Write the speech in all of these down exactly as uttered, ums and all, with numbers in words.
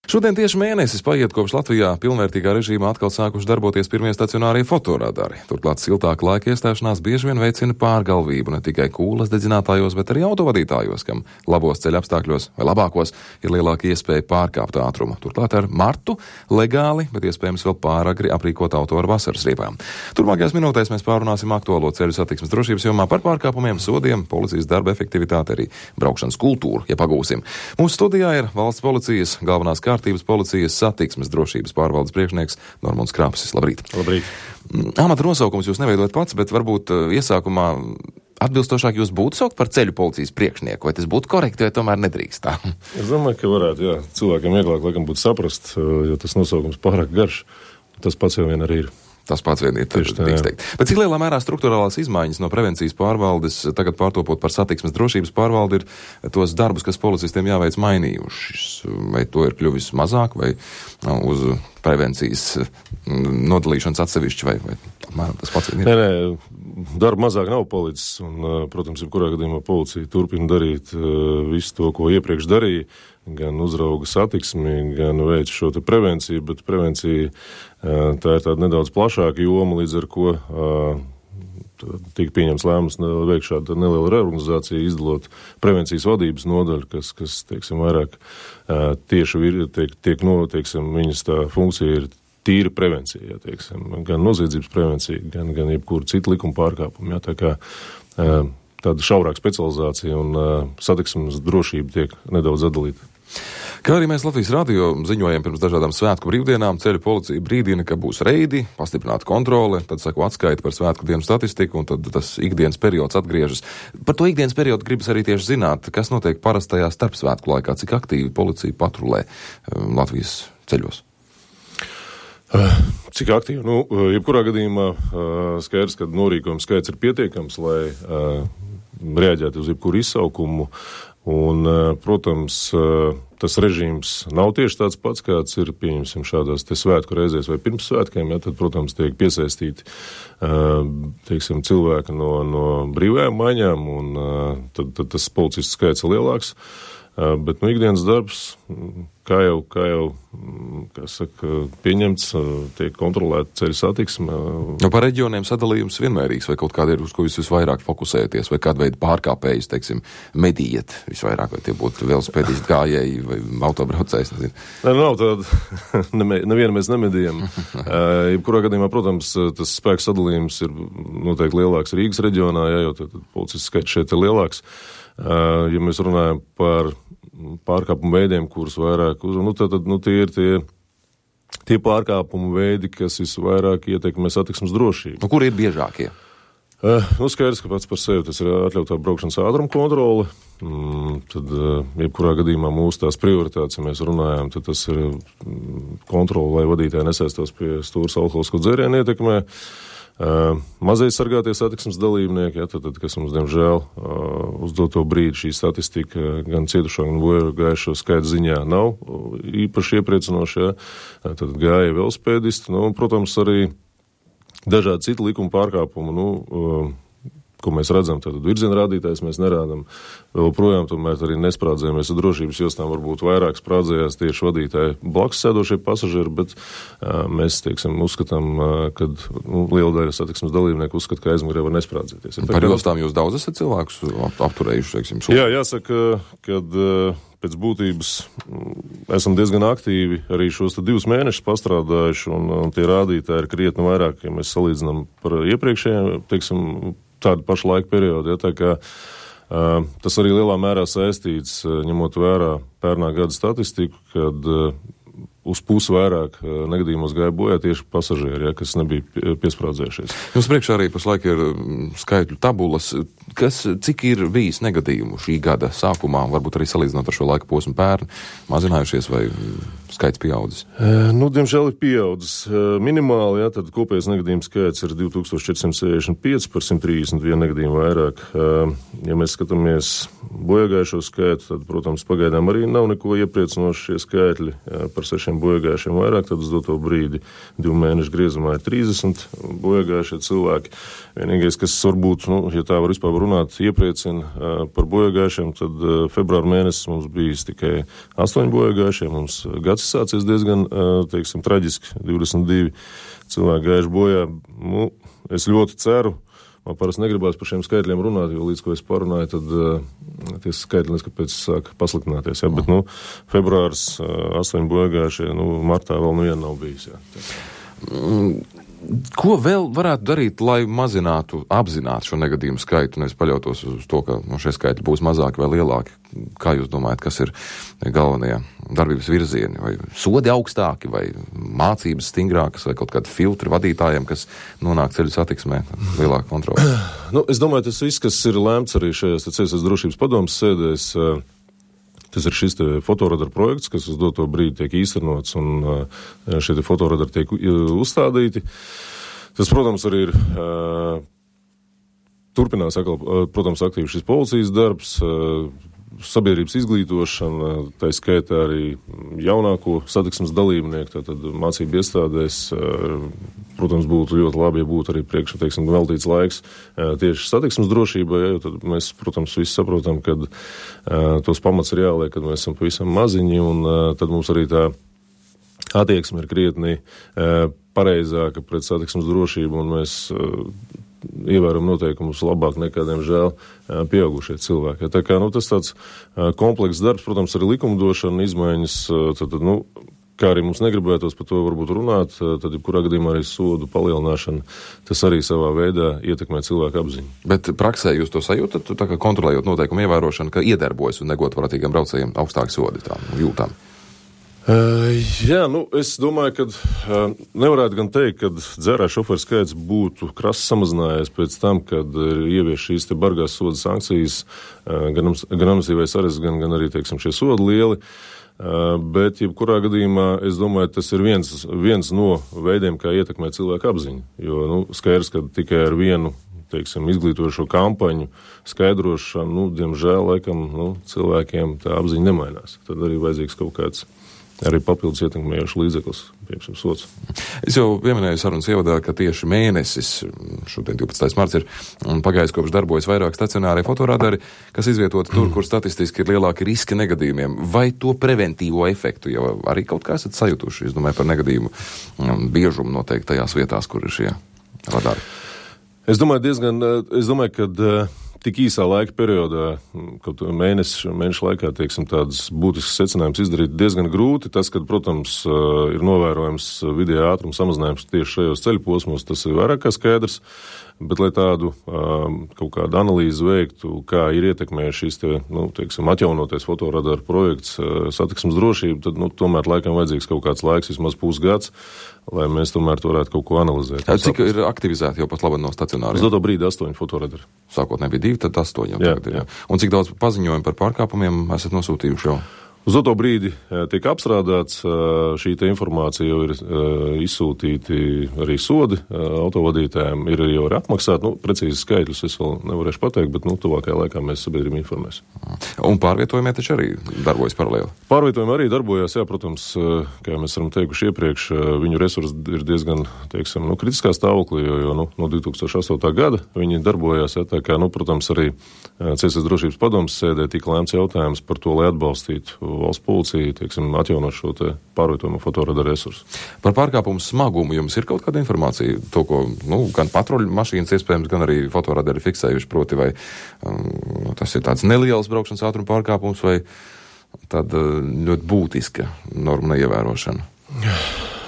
Šodien tieši mēnesis paiet, kopš Latvijā pilnvērtīgā režīmā atkal sākuši darboties pirmie stacionārie fotoradari. Turklāt siltāka laika iestāšanās bieži vien veicina pārgalvību ne tikai kūlas dedzinātājos, bet arī autovadītājos, kam labos ceļa apstākļos vai labākos ir lielāka iespēja pārkāpt ātrumu. Turklāt ar martu legāli, bet iespējams vēl pāragri aprīkot auto ar vasaras riepām. Turmākajās minūtēs mēs pārunāsim aktuālo ceļu satiksmes drošības jomā par pārkāpumiem, sodiem, policijas darba efektivitāti, arī braukšanas kultūru, ja pagūsim. Mūsu studijā ir valsts policijas galvenās kārtības policijas satiksmes drošības pārvaldes priekšnieks Normunds Krapsis. Labrīt. Labrīt. Amata nosaukums jūs neveidojat pats, bet varbūt iesākumā atbilstošāk jūs būtu saukt par ceļu policijas priekšnieku, vai tas būtu korekti, vai tomēr nedrīkst tā? Es domāju, ka varētu, jā. Cilvēkiem vieglāk, laikam, būtu saprast, jo tas nosaukums pārāk garš. Tas pats jau vien arī ir. Tas pats vien ir, tieši tā, jā. Bet cik lielā mērā struktūrālās izmaiņas no prevencijas pārvaldes, tagad pārtopot par satiksmes drošības pārvaldi, ir tos darbus, kas policistiem jāveic, mainījušas? Vai to ir kļuvis mazāk, vai uz prevencijas nodalīšanas atsevišķi, vai, vai apmēram tas pats vien ir? Nē, nē, darba mazāk nav palicis, un, protams, jebkurā gadījumā policija turpina darīt visu to, ko iepriekš darīja, gan uzrauga satiksmi, gan veic šo te prevenciju, bet prevencija tā ir tāda nedaudz plašāka joma, līdz ar ko tika pieņems lēmums veikt šādu nelielu reorganizāciju, izdalot prevencijas vadības nodaļu, kas, kas teiksim, vairāk tieši vir, tiek, tiek no, teiksim, viņas tā funkcija ir tīra prevencija, jā, teiksim, gan noziedzības prevencija, gan, gan jebkura cita likuma pārkāpuma, jā, tā kā tāda šaurāka specializācija un satiksmes drošība tiek nedaudz atdalīta. Kā arī mēs Latvijas radio ziņojam pirms dažādām svētku brīvdienām, ceļu policija brīdina, ka būs reidi, pastiprināta kontrole, tad sako atskaita par svētku dienu statistiku, un tad tas ikdienas periods atgriežas. Par to ikdienas periodu gribas arī tieši zināt, kas notiek parastajā starpsvētku laikā, cik aktīvi policija patrulē Latvijas ceļos. Cik aktīvi? Nu, jebkurā gadījumā skaidrs, ka norīkojuma skaits ir pietiekams, lai reaģētu uz jebkuru izsaukumu. Un, protams, tas režīms nav tieši tāds pats, kāds ir, pieņemsim, šādās te svētku reizēs vai pirms svētkiem, ja tad, protams, tiek piesaistīti, teiksim, cilvēki no, no brīvajām maiņām, un tad, tad tas policistu skaits ir lielāks. Bet, nu, ikdienas darbs, kā jau, kā jau, kā saka, pieņemts, tiek kontrolēta ceļu satiksme. Nu, par reģioniem sadalījums vienmērīgs, vai kaut kāda ir, uz ko jūs visvairāk fokusēties, vai kāda veida pārkāpējus, teiksim, medījat visvairāk, vai tie būtu velosipēdisti gājēji vai autobraucējs, nezinu. Nē, nav tāda, nevienu mēs nemedījam. Jebkurā gadījumā, protams, tas spēks sadalījums ir noteikti lielāks Rīgas reģionā, ja, jo tad policists skaits šeit ir lielāks. Ja mēs runājam par pārkāpumu veidiem, kurus vairāk uz, nu, tad, nu, tie ir tie, tie pārkāpumu veidi, kas visvairāk ietekmē satiksmes drošību. Nu, kur ir biežākie? Uh, nu, skaidrs, ka pats par sevi tas ir atļautā braukšanas ātruma kontrole. Mm, tad, uh, jebkurā gadījumā mūsu tās prioritātes, ja mēs runājam, tad tas ir kontrole, lai vadītāji nesaistos pie stūras alkoholisko dzērienu ietekmē. Uh, Mazie sargātie satiksmes dalībnieki, ja, tad, tad, kas mums, diemžēl, uh, uz doto brīdi šī statistika gan cietušo, gan bojāgājušo skaita ziņā nav īpaši iepriecinoša, ja, tad gāja velosipēdisti, nu, protams, arī dažādi citi likuma pārkāpumi, nu, uh, ko mēs redzam, tad virziena rādītājs mēs nerādam. Vēl projām tomēr arī nesprādzējamies ar drošības jostām, varbūt vairāk sprādzējās tieši vadītāji blakus sēdošie pasažieri, bet uh, mēs, teiksim, uzskatām, uh, kad nu, liela daļa satiksmes dalībnieku uzskata, ka aizmugurē var nesprādzēties. Par tā, jostām jūs daudz esat cilvēkus apturējuši, teiksim, sūdzu? Jā, jāsaka, kad uh, pēc būtības esam diezgan aktīvi arī šos divus mēnešus pastrādājuši, un, un tie rādītāji ir krietni vairāk, ja mēs salīdzinām par iepriekšējiem, teiksim, tādu pašu laika periodu, ja, tā kā uh, tas arī lielā mērā saistīts, uh, ņemot vērā pērnā gada statistiku, kad uh, uz pusi vairāk uh, negadījumos gāja bojā tieši pasažieri, ja, kas nebija piesprādzējušies. Jums priekšā arī pašlaik ir skaitļu tabulas, kas, cik ir bijis negadījumu šī gada sākumā, varbūt arī salīdzinot ar šo laika posmu pērni, mazinājušies vai skaits pieaudzis? Uh, nu, diemžēl ir pieaudzis uh, minimāli, ja, tad kopējais negadījums skaits ir divi tūkstoši četri simti sešdesmit pieci par simt trīsdesmit vienu negadījumu vairāk. Uh, ja mēs skatāmies bojāgājušo skaitu, tad, protams, pagaidām arī nav neko iepriecinoši šie skaitļi uh, par sešiem bojāgājušiem vairāk, tad uz doto brīdi divu mēnešu griezumā ir trīsdesmit bojāgājušie cilvēki. Vienīgais, kas varbūt, nu, ja tā var vispār runāt, iepriecina uh, par bojāgājušiem, tad uh, februāra mēnesis mums bijis tikai astoņi bojāgājušie, mums gads gads sācies diezgan, teiksim, traģiski, divdesmit divi cilvēki gājuši bojā. Nu, es ļoti ceru, man parasti negribās par šiem skaitļiem runāt, jo līdz ko es parunāju, tad uh, tie skaitļi neskapēc sāk pasliktināties. Ja? Bet, nu, februārs uh, astoņi bojāgājušie, nu, martā vēl nu viena nav bijis. Ja? Ko vēl varētu darīt, lai mazinātu, apzinātu šo negadījumu skaitu, nevis paļautos uz to, ka nu, šie skaitļi būs mazāki vai lielāki? Kā jūs domājat, kas ir galvenie darbības virzieni? Vai sodi augstāki, vai mācības stingrākas, vai kaut kādi filtri vadītājiem, kas nonāk ceļu satiksmē, lielāka kontrola? Nu, es domāju, tas viss, kas ir lēmts arī šajās ceļu drošības padomas sēdēs, tas ir šis fotoradara projekts, kas uz doto brīdi tiek īstenots, un šie fotoradari tiek uzstādīti. Tas, protams, arī ir turpinās, protams, aktīvi šis policijas darbs, sabiedrības izglītošana, tā skaitā arī jaunāko satiksmes dalībnieku, tātad mācību iestādēs. Protams, būtu ļoti labi, ja būtu arī priekšā, teiksim, veltīts laiks tieši satiksmes drošībai, jo tad mēs, protams, visi saprotam, ka tos pamats ir jāliek, kad mēs esam pavisam maziņi, un tad mums arī tā attieksme ir krietni pareizāka pret satiksmes drošību, un mēs ievēram noteikumus labāk nekā, diemžēl, pieaugušie cilvēki. Tā kā, nu, tas tāds komplekss darbs, protams, arī likumdošana, izmaiņas, tad, nu, kā arī mums negribētos par to varbūt runāt, tad, jebkurā gadījumā arī sodu palielināšana, tas arī savā veidā ietekmē cilvēku apziņu. Bet praksē jūs to sajūtat, tā kā kontrolējot noteikumu ievērošanu, ka iedarbojas un negodprātīgiem braucējiem augstāki sodi tā jūtām? Uh, jā, nu, es domāju, ka uh, nevarētu gan teikt, ka dzērā šoferu skaits būtu krasi samazinājies pēc tam, kad ir ievies šīs te bargās soda sankcijas, uh, gan, gan administratīvais arests, gan, gan arī, teiksim, šie sodi lieli. Uh, bet, jebkurā gadījumā, es domāju, tas ir viens, viens no veidiem, kā ietekmē cilvēku apziņu. Jo, nu, skaidrs, ka tikai ar vienu, teiksim, izglītojošo kampaņu skaidrošanu, nu, diemžēl, laikam, nu, cilvēkiem tā apziņa nemainās. Tad arī vajadzīgs kaut kāds arī papildus ietekmējošs līdzeklis, piemēram, sots. Es jau pieminēju sarunas ievadā, ka tieši mēnesis, šodien divpadsmitais marts ir pagājis, kopš darbojas vairāk stacionārie fotoradari, kas izvietoti tur, kur statistiski ir lielāki riski negadījumiem. Vai to preventīvo efektu jau arī kaut kā esat sajutuši? Es domāju par negadījumu biežumu noteikti tajās vietās, kur ir šie radari. Es domāju diezgan, es domāju, ka tik īsā laika periodā, kaut mēnešu, mēnešu laikā, teiksim, tādas būtiskas secinājumus izdarīt diezgan grūti. Tas, kad, protams, ir novērojams vidējā ātruma samazinājums tieši šajos ceļu posmos, tas ir vairāk kā skaidrs. Bet, lai tādu um, kaut kādu analīzi veiktu, kā ir ietekmējuši šīs te, nu, teiksim, atjaunotais fotoradaru projekts uh, satiksmes drošību, tad, nu, tomēr laikam vajadzīgs kaut kāds laiks, vismaz pusgads, lai mēs tomēr varētu kaut ko analizēt. Jā, cik ir aktivizēti jau pat labi no stacionāriem? Uz doto brīdi astoņi fotoradari. Sākotnēji bija divi, tad astoņi. Jā, tagad ir, jā. jā. Un cik daudz paziņojumu par pārkāpumiem esat nosūtījuši jau? Uz doto brīdi tiek apstrādāts, šī te informācija jau ir izsūtīti arī sodi autovadītājiem, ir jau arī apmaksāti. Nu, precīzi skaitļus es vēl nevarēšu pateikt, bet, nu, tuvākajā laikā mēs sabiedrību informēsim. Un pārvietojumie taču arī darbojas paralēli? Pārvietojumi arī darbojas, jā, protams, kā mēs varam teikuši iepriekš, viņu resursi ir diezgan, teiksim, nu, kritiskā stāvoklī, jo, jo nu, no divi tūkstoši astotā gada viņi darbojās, jā, tā kā, nu, protams, arī Ceļu drošības padomes sēdē tika lēmts jautājums par to, lai atbalstītu valsts policija, teiksim, atjaunot šo te pārvietojumu fotoradaru resursu. Par pārkāpumu smagumu jums ir kaut kāda informācija? To, ko, nu, gan patruļu mašīnas iespējams, gan arī fotoradari fiksējuši, proti, vai um, tas ir tāds neliels braukšanas ātruma pārkāpums, vai tāda ļoti būtiska norma neievērošana?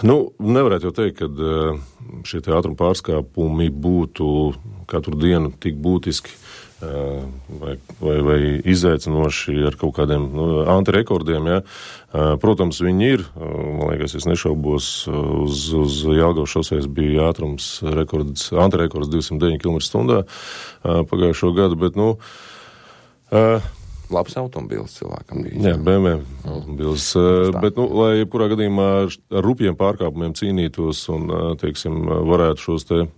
Nu, nevarētu jau teikt, ka šie te ātruma pārkāpumi būtu katru dienu tik būtiski vai, vai, vai izaicinoši ar kaut kādiem nu, antirekordiem. Ja. Protams, viņi ir, man liekas, es nešaubos, uz, uz Jelgavas šosejas bija ātrums rekords, antirekords divsimt deviņi kilometri stundā pagājušo gadu, bet, nu, labs automobils cilvēkam bija. Jā, B M W automobils. Bet, nu, lai jebkurā gadījumā ar rupjiem pārkāpumiem cīnītos un, teiksim, varētu šos te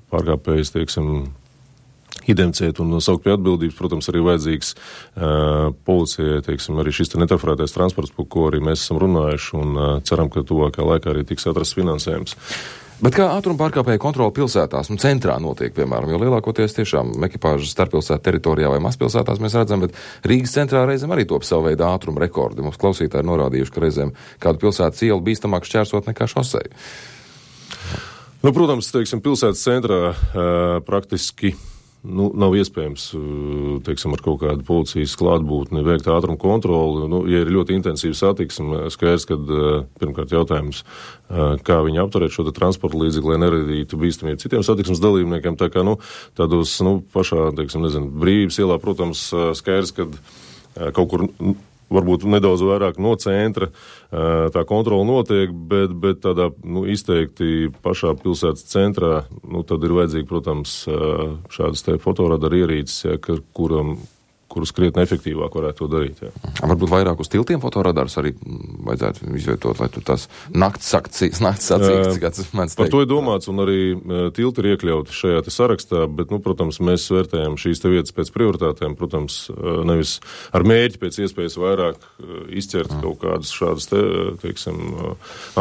pārkāpējus, teiksim, identificēt un saukt pie atbildības, protams, arī vajadzīgs uh, policijai, teiksim, arī šis te netransferētais transports, par ko arī mēs esam runājuši un uh, ceram, ka tuvākā laikā arī tiks atrasts finansējums. Bet kā ātruma pārkāpēja kontrola pilsētās, nu centrā notiek, piemēram, jo lielākoties tiešām ekipāžas starppilsētu teritorijā vai mazpilsētās mēs redzam, bet Rīgas centrā reizēm arī top savu veidu ātruma rekordi. Mums klausītāji ir norādījuši, ka reizēm kādu pilsētas ielu bīstamāk šķērsot nekā šoseju. Nu, protams, teiksim, pilsētas centrā uh, praktiski nu, nav iespējams, teiksim, ar kaut kādu policijas klātbūtni veikt ātrumu kontroli. Nu, ja ir ļoti intensīva satiksme, skaidrs, kad pirmkārt jautājums, kā viņi apturēt šo transporta līdzekli, lai neradītu bīstamību citiem satiksmes dalībniekiem. Tā kā, nu, tādos, nu, pašā, teiksim, nezinu, Brīvības ielā, protams, skaidrs, kad kaut kur varbūt nedaudz vairāk no centra tā kontrola notiek, bet, bet tādā, nu, izteikti pašā pilsētas centrā, nu, tad ir vajadzīgi, protams, šādas te fotoradaru ierīces, ja, kuram, kurus krietni efektīvāk varētu to darīt. Jā. Varbūt vairāk uz tiltiem fotoradarus arī vajadzētu izvietot, lai tur tās nakts sakcijas, nakts sacīks, kāds man teikt. Par to ir domāts, un arī tilti ir iekļauti šajā te sarakstā, bet, nu, protams, mēs vērtējam šīs te vietas pēc prioritātēm, protams, nevis ar mērķi pēc iespējas vairāk izķert mm. kaut kādas šādas te, teiksim,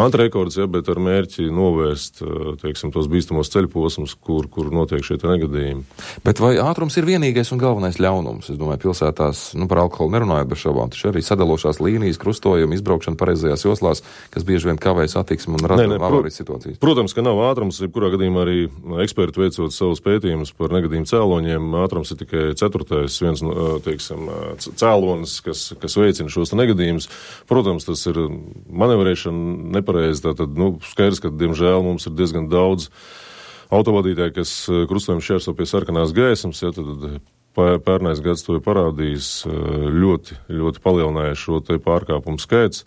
antrekordus, ja, bet ar mērķi novērst, teiksim, tos bīstamos ceļposmus, kur, kur notiek šie te negadījumi. Bet vai ātrums ir vienīgais un galvenais ļaunums? Es domāju, pilsētās, nu, par alkoholu nerunājot bez šaubām, taču arī sadalošās līnijas, krustojumi, izbraukšana pareizajās joslās, kas bieži vien kavē satiksmi un rada avārijas situācijas. Protams, ka nav ātrums, jebkurā gadījumā arī eksperti veicot savus pētījumus par negadījumu cēloņiem, ātrums ir tikai ceturtais viens, teiksim, cēlonis, kas, kas veicina šos negadījumus. Protams, tas ir manevrēšana nepareizi, tātad, nu, skaidrs, ka, diemžēl, mums ir diezgan daudz autovadītāji, kas krustojumi šķērso pie sarkanās gaismas, ja, tad pērnais gads to ir parādījis, ļoti, ļoti palielināja šo te pārkāpumu skaits.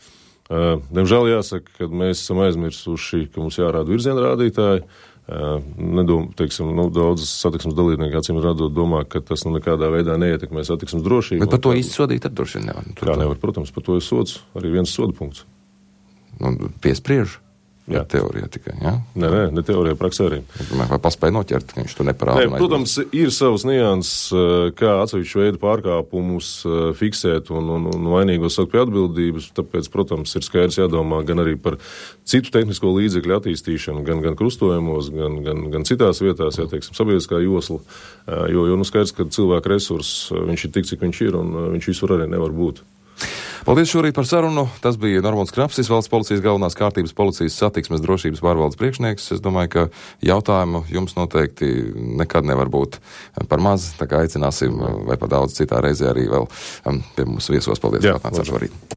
Diemžēl jāsaka, ka mēs esam aizmirsuši, ka mums jārāda virzienrādītāji. Nedom, teiksim, nu, daudzas satiksmes dalībnieki, acīm redzot, domā, ka tas nu nekādā veidā neietekmē satiksmes drošību. Bet par to īsti sodīt tad droši vien nevar. Kā nevar, protams, par to ir sods, arī viens soda punkts. Un piespriež? Jā, teorijā tikai, jā? Nē, nē, ne teorijā, praksē arī. Vai paspēja noķert, ka viņš to neparāda? Nē, protams, ir savas nianses, kā atsevišķu veidu pārkāpumus fiksēt un, un, un vainīgos saukt pie atbildības, tāpēc, protams, ir skaidrs jādomā gan arī par citu tehnisko līdzekļu attīstīšanu, gan, gan krustojumos, gan, gan, gan citās vietās, jā, teiksim, sabiedriskā josla, jo, jo, nu, skaidrs, ka cilvēka resurss, viņš ir tik, cik viņš ir, un viņš visur arī nevar būt. Paldies šorīt par sarunu. Tas bija Normons Krapsis, valsts policijas galvenās kārtības policijas satiksmes drošības pārvaldes priekšnieks. Es domāju, ka jautājumu jums noteikti nekad nevar būt par maz, tā kā aicināsim vai par daudz citā reizē arī vēl pie mums viesos. Paldies, Jā, kā nācāt šorīt.